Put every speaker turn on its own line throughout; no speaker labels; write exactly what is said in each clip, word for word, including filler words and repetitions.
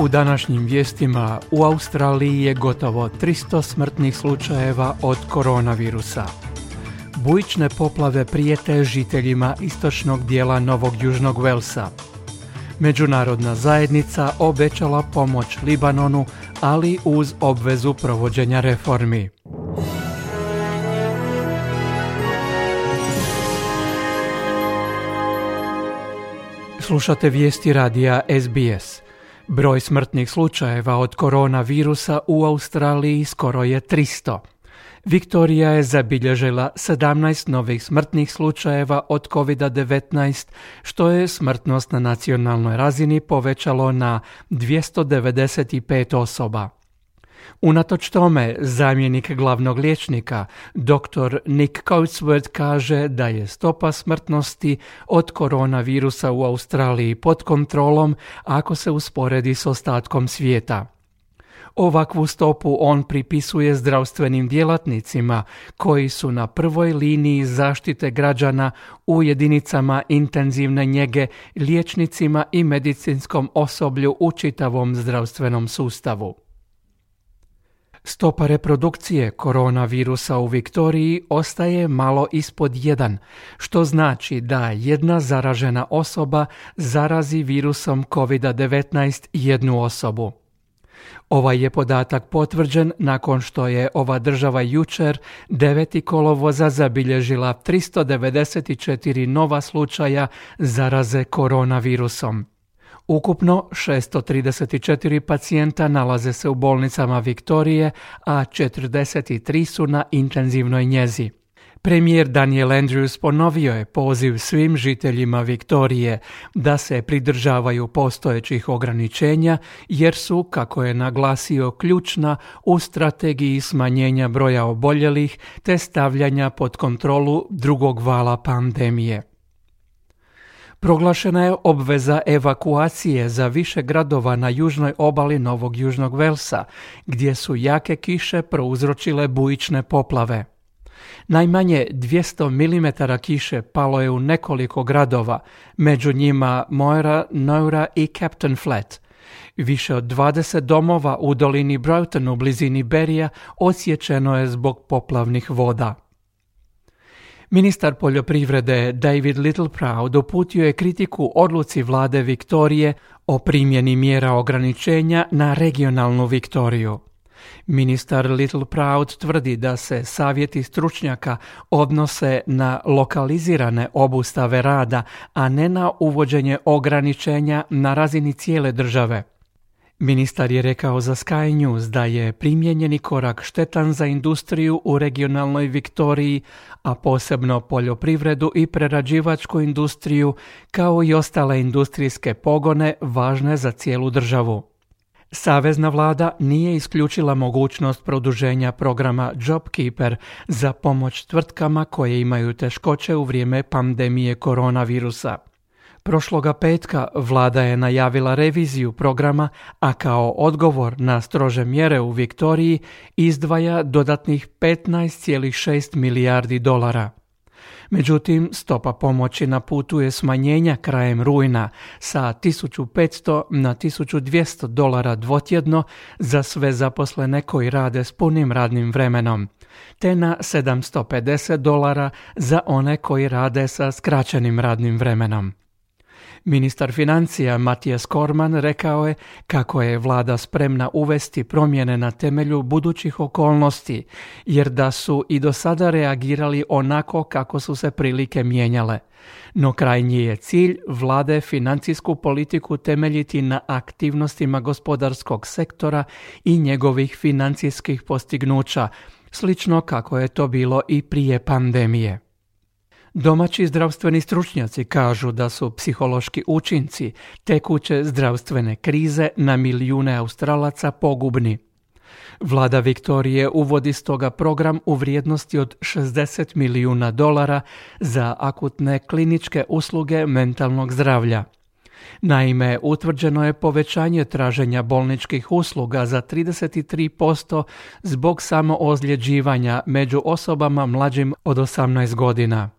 U današnjim vijestima u Australiji je gotovo tristo smrtnih slučajeva od koronavirusa. Bujične poplave prijete žiteljima istočnog dijela Novog Južnog Velsa. Međunarodna zajednica obećala pomoć Libanonu, ali uz obvezu provođenja reformi. Slušate vijesti radija S B S. Broj smrtnih slučajeva od koronavirusa u Australiji skoro je tristo. Viktorija je zabilježila sedamnaest novih smrtnih slučajeva od kovid devetnaest, što je smrtnost na nacionalnoj razini povećalo na dvjesto devedeset pet osoba. Unatoč tome, zamjenik glavnog liječnika, doktor Nick Coatsworth, kaže da je stopa smrtnosti od koronavirusa u Australiji pod kontrolom ako se usporedi s ostatkom svijeta. Ovakvu stopu on pripisuje zdravstvenim djelatnicima koji su na prvoj liniji zaštite građana u jedinicama intenzivne njege, liječnicima i medicinskom osoblju u čitavom zdravstvenom sustavu. Stopa reprodukcije koronavirusa u Viktoriji ostaje malo ispod jedan, što znači da jedna zaražena osoba zarazi virusom kovid devetnaest jednu osobu. Ovaj je podatak potvrđen nakon što je ova država jučer devetog kolovoza zabilježila tristo devedeset četiri nova slučaja zaraze koronavirusom. Ukupno šesto trideset četiri pacijenta nalaze se u bolnicama Viktorije, a četrdeset tri su na intenzivnoj njezi. Premijer Daniel Andrews ponovio je poziv svim žiteljima Viktorije da se pridržavaju postojećih ograničenja jer su, kako je naglasio, ključna u strategiji smanjenja broja oboljelih te stavljanja pod kontrolu drugog vala pandemije. Proglašena je obveza evakuacije za više gradova na južnoj obali Novog Južnog Velsa, gdje su jake kiše prouzročile bujične poplave. Najmanje dvjesto milimetara kiše palo je u nekoliko gradova, među njima Moira, Nowra i Captain Flat. Više od dvadeset domova u dolini Broughton u blizini Berija odsječeno je zbog poplavnih voda. Ministar poljoprivrede David Littleproud uputio je kritiku odluci vlade Viktorije o primjeni mjera ograničenja na regionalnu Viktoriju. Ministar Littleproud tvrdi da se savjeti stručnjaka odnose na lokalizirane obustave rada, a ne na uvođenje ograničenja na razini cijele države. Ministar je rekao za Sky News da je primijenjeni korak štetan za industriju u regionalnoj Viktoriji, a posebno poljoprivredu i prerađivačku industriju, kao i ostale industrijske pogone važne za cijelu državu. Savezna vlada nije isključila mogućnost produženja programa JobKeeper za pomoć tvrtkama koje imaju teškoće u vrijeme pandemije koronavirusa. Prošloga petka vlada je najavila reviziju programa, a kao odgovor na strože mjere u Viktoriji izdvaja dodatnih petnaest zarez šest milijardi dolara. Međutim, stopa pomoći na putu je smanjenja krajem rujna sa tisuću petsto na tisuću dvjesto dolara dvotjedno za sve zaposlene koji rade s punim radnim vremenom, te na sedamsto pedeset dolara za one koji rade sa skraćenim radnim vremenom. Ministar financija Mathias Cormann rekao je kako je vlada spremna uvesti promjene na temelju budućih okolnosti, jer da su i do sada reagirali onako kako su se prilike mijenjale. No krajnji je cilj vlade financijsku politiku temeljiti na aktivnostima gospodarskog sektora i njegovih financijskih postignuća, slično kako je to bilo i prije pandemije. Domaći zdravstveni stručnjaci kažu da su psihološki učinci tekuće zdravstvene krize na milijune Australaca pogubni. Vlada Viktorije uvodi stoga program u vrijednosti od šezdeset milijuna dolara za akutne kliničke usluge mentalnog zdravlja. Naime, utvrđeno je povećanje traženja bolničkih usluga za trideset tri posto zbog samoozljeđivanja među osobama mlađim od osamnaest godina.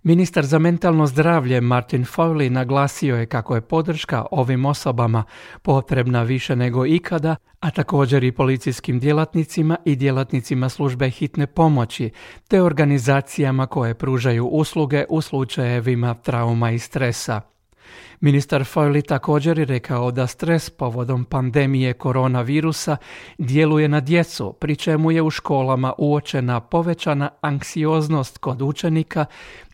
Ministar za mentalno zdravlje Martin Fowley naglasio je kako je podrška ovim osobama potrebna više nego ikada, a također i policijskim djelatnicima i djelatnicima službe hitne pomoći, te organizacijama koje pružaju usluge u slučajevima trauma i stresa. Ministar Fowley također je rekao da stres povodom pandemije koronavirusa djeluje na djecu, pri čemu je u školama uočena povećana anksioznost kod učenika,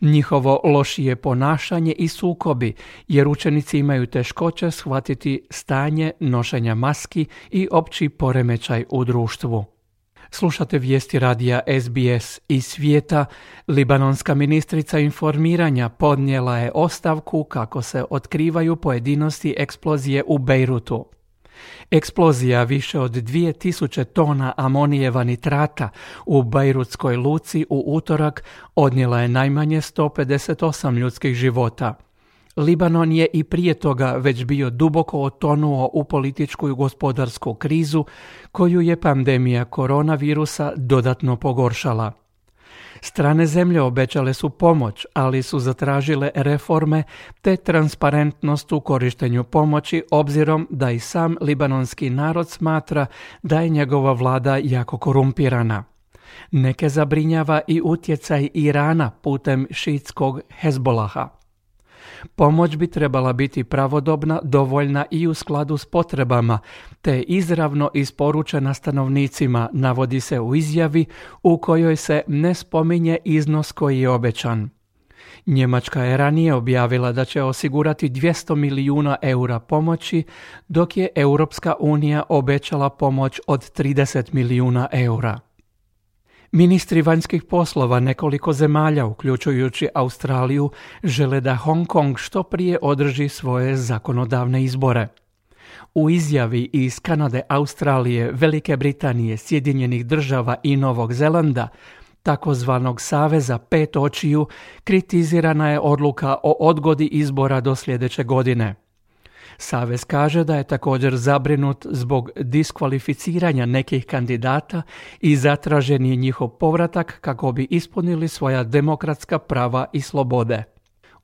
njihovo lošije ponašanje i sukobi, jer učenici imaju teškoće shvatiti stanje nošenja maski i opći poremećaj u društvu. Slušate vijesti radija S B S iz svijeta. Libanonska ministrica informiranja podnijela je ostavku kako se otkrivaju pojedinosti eksplozije u Bejrutu. Eksplozija više od dvije tisuće tona amonijeva nitrata u Bejrutskoj luci u utorak odnijela je najmanje sto pedeset osam ljudskih života. Libanon je i prije toga već bio duboko otonuo u političku i gospodarsku krizu koju je pandemija koronavirusa dodatno pogoršala. Strane zemlje obećale su pomoć, ali su zatražile reforme te transparentnost u korištenju pomoći, obzirom da i sam libanonski narod smatra da je njegova vlada jako korumpirana. Neke zabrinjava i utjecaj Irana putem šiitskog Hezbolaha. Pomoć bi trebala biti pravodobna, dovoljna i u skladu s potrebama, te izravno isporučena stanovnicima, navodi se u izjavi u kojoj se ne spominje iznos koji je obećan. Njemačka je ranije objavila da će osigurati dvjesto milijuna eura pomoći, dok je Europska unija obećala pomoć od trideset milijuna eura. Ministri vanjskih poslova nekoliko zemalja, uključujući Australiju, žele da Hong Kong što prije održi svoje zakonodavne izbore. U izjavi iz Kanade, Australije, Velike Britanije, Sjedinjenih država i Novog Zelanda, takozvanog Saveza pet očiju, kritizirana je odluka o odgodi izbora do sljedeće godine. Savez kaže da je također zabrinut zbog diskvalificiranja nekih kandidata i zatražen je njihov povratak kako bi ispunili svoja demokratska prava i slobode.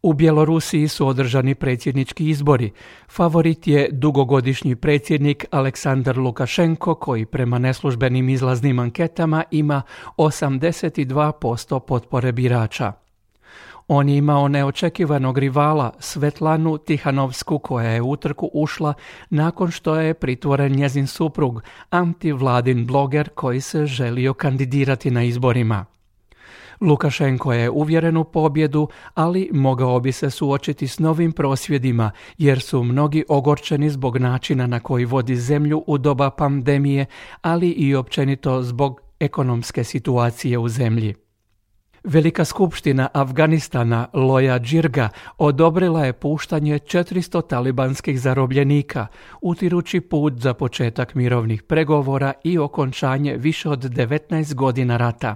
U Bjelorusiji su održani predsjednički izbori. Favorit je dugogodišnji predsjednik Aleksandar Lukašenko, koji prema neslužbenim izlaznim anketama ima osamdeset dva posto potpore birača. On je imao neočekivanog rivala Svetlanu Tihanovsku, koja je u utrku ušla nakon što je pritvoren njezin suprug, antivladin bloger koji se želio kandidirati na izborima. Lukašenko je uvjeren u pobjedu, ali mogao bi se suočiti s novim prosvjedima, jer su mnogi ogorčeni zbog načina na koji vodi zemlju u doba pandemije, ali i općenito zbog ekonomske situacije u zemlji. Velika skupština Afganistana Loja Džirga odobrila je puštanje četiristo talibanskih zarobljenika, utirući put za početak mirovnih pregovora i okončanje više od devetnaest godina rata.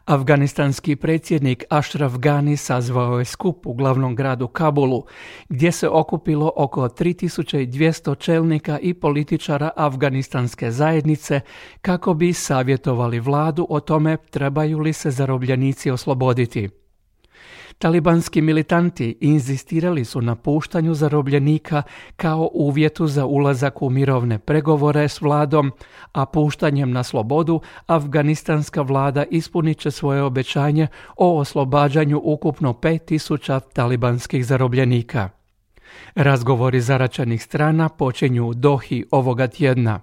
Afganistanski predsjednik Ashraf Ghani sazvao je skup u glavnom gradu Kabulu, gdje se okupilo oko tri tisuće dvjesto čelnika i političara afganistanske zajednice kako bi savjetovali vladu o tome trebaju li se zarobljenici osloboditi. Talibanski militanti inzistirali su na puštanju zarobljenika kao uvjetu za ulazak u mirovne pregovore s vladom, a puštanjem na slobodu afganistanska vlada ispunit će svoje obećanje o oslobađanju ukupno pet tisuća talibanskih zarobljenika. Razgovori zaračenih strana počinju u Dohi ovoga tjedna.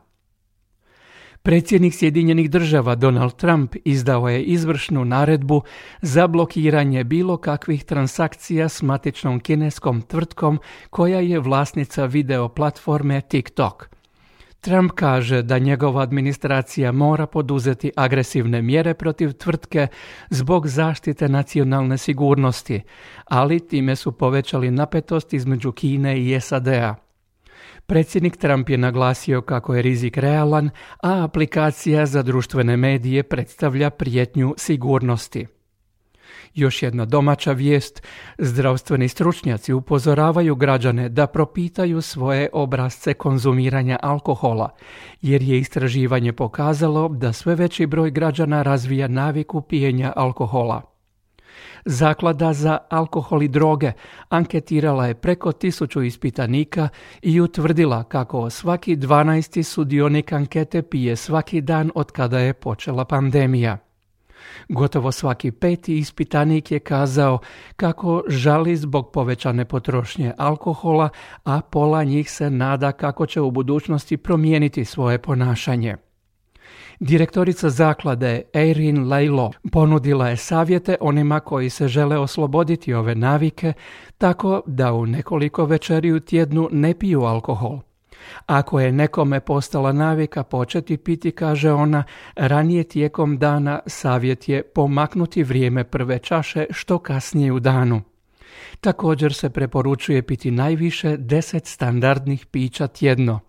Predsjednik Sjedinjenih država Donald Trump izdao je izvršnu naredbu za blokiranje bilo kakvih transakcija s matičnom kineskom tvrtkom koja je vlasnica video platforme TikTok. Trump kaže da njegova administracija mora poduzeti agresivne mjere protiv tvrtke zbog zaštite nacionalne sigurnosti, ali time su povećali napetost između Kine i S A D-a. Predsjednik Trump je naglasio kako je rizik realan, a aplikacija za društvene medije predstavlja prijetnju sigurnosti. Još jedna domaća vijest. Zdravstveni stručnjaci upozoravaju građane da propitaju svoje obrasce konzumiranja alkohola, jer je istraživanje pokazalo da sve veći broj građana razvija naviku pijenja alkohola. Zaklada za alkohol i droge anketirala je preko tisuću ispitanika i utvrdila kako svaki dvanaesti sudionik ankete pije svaki dan od kada je počela pandemija. Gotovo svaki peti ispitanik je kazao kako žali zbog povećane potrošnje alkohola, a pola njih se nada kako će u budućnosti promijeniti svoje ponašanje. Direktorica zaklade Erin Laylo ponudila je savjete onima koji se žele osloboditi ove navike tako da u nekoliko večeri u tjednu ne piju alkohol. Ako je nekome postala navika početi piti, kaže ona, ranije tijekom dana savjet je pomaknuti vrijeme prve čaše što kasnije u danu. Također se preporučuje piti najviše deset standardnih pića tjedno.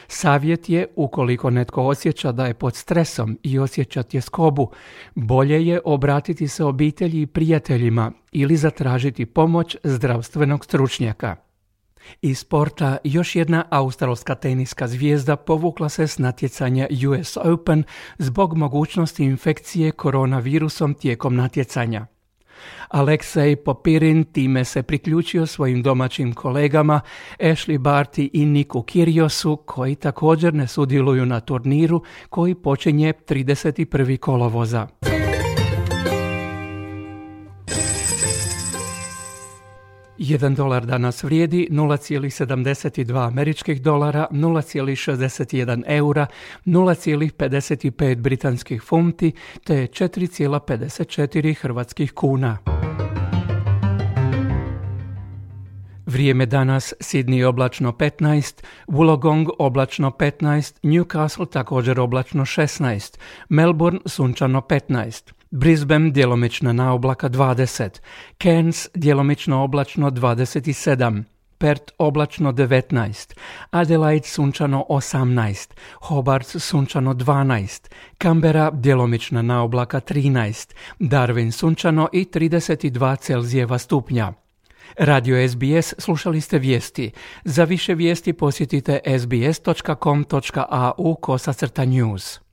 Savjet je, ukoliko netko osjeća da je pod stresom i osjeća tjeskobu, bolje je obratiti se obitelji i prijateljima ili zatražiti pomoć zdravstvenog stručnjaka. Iz sporta još jedna australska teniska zvijezda povukla se s natjecanja U S Open zbog mogućnosti infekcije koronavirusom tijekom natjecanja. Aleksej Popirin time se priključio svojim domaćim kolegama Ashley Barty i Niku Kyrgiosu, koji također ne sudjeluju na turniru koji počinje trideset prvog kolovoza. Jedan dolar danas vrijedi nula zarez sedamdeset dva američkih dolara, nula zarez šezdeset jedan eura, nula zarez pedeset pet britanskih funti te četiri zarez pedeset četiri hrvatskih kuna. Vrijeme danas: Sydney oblačno petnaest, Wollongong oblačno petnaest, Newcastle također oblačno šesnaest, Melbourne sunčano petnaest, Brisbane djelomična naoblaka dvadeset, Cairns djelomično oblačno dvadeset sedam, Perth oblačno devetnaest, Adelaide sunčano osamnaest, Hobart sunčano dvanaest, Canberra djelomična naoblaka trinaest, Darwin sunčano i trideset dva Celzijeva stupnja. Radio S B S, slušali ste vijesti. Za više vijesti posjetite sbs dot com dot a u kosacrta news.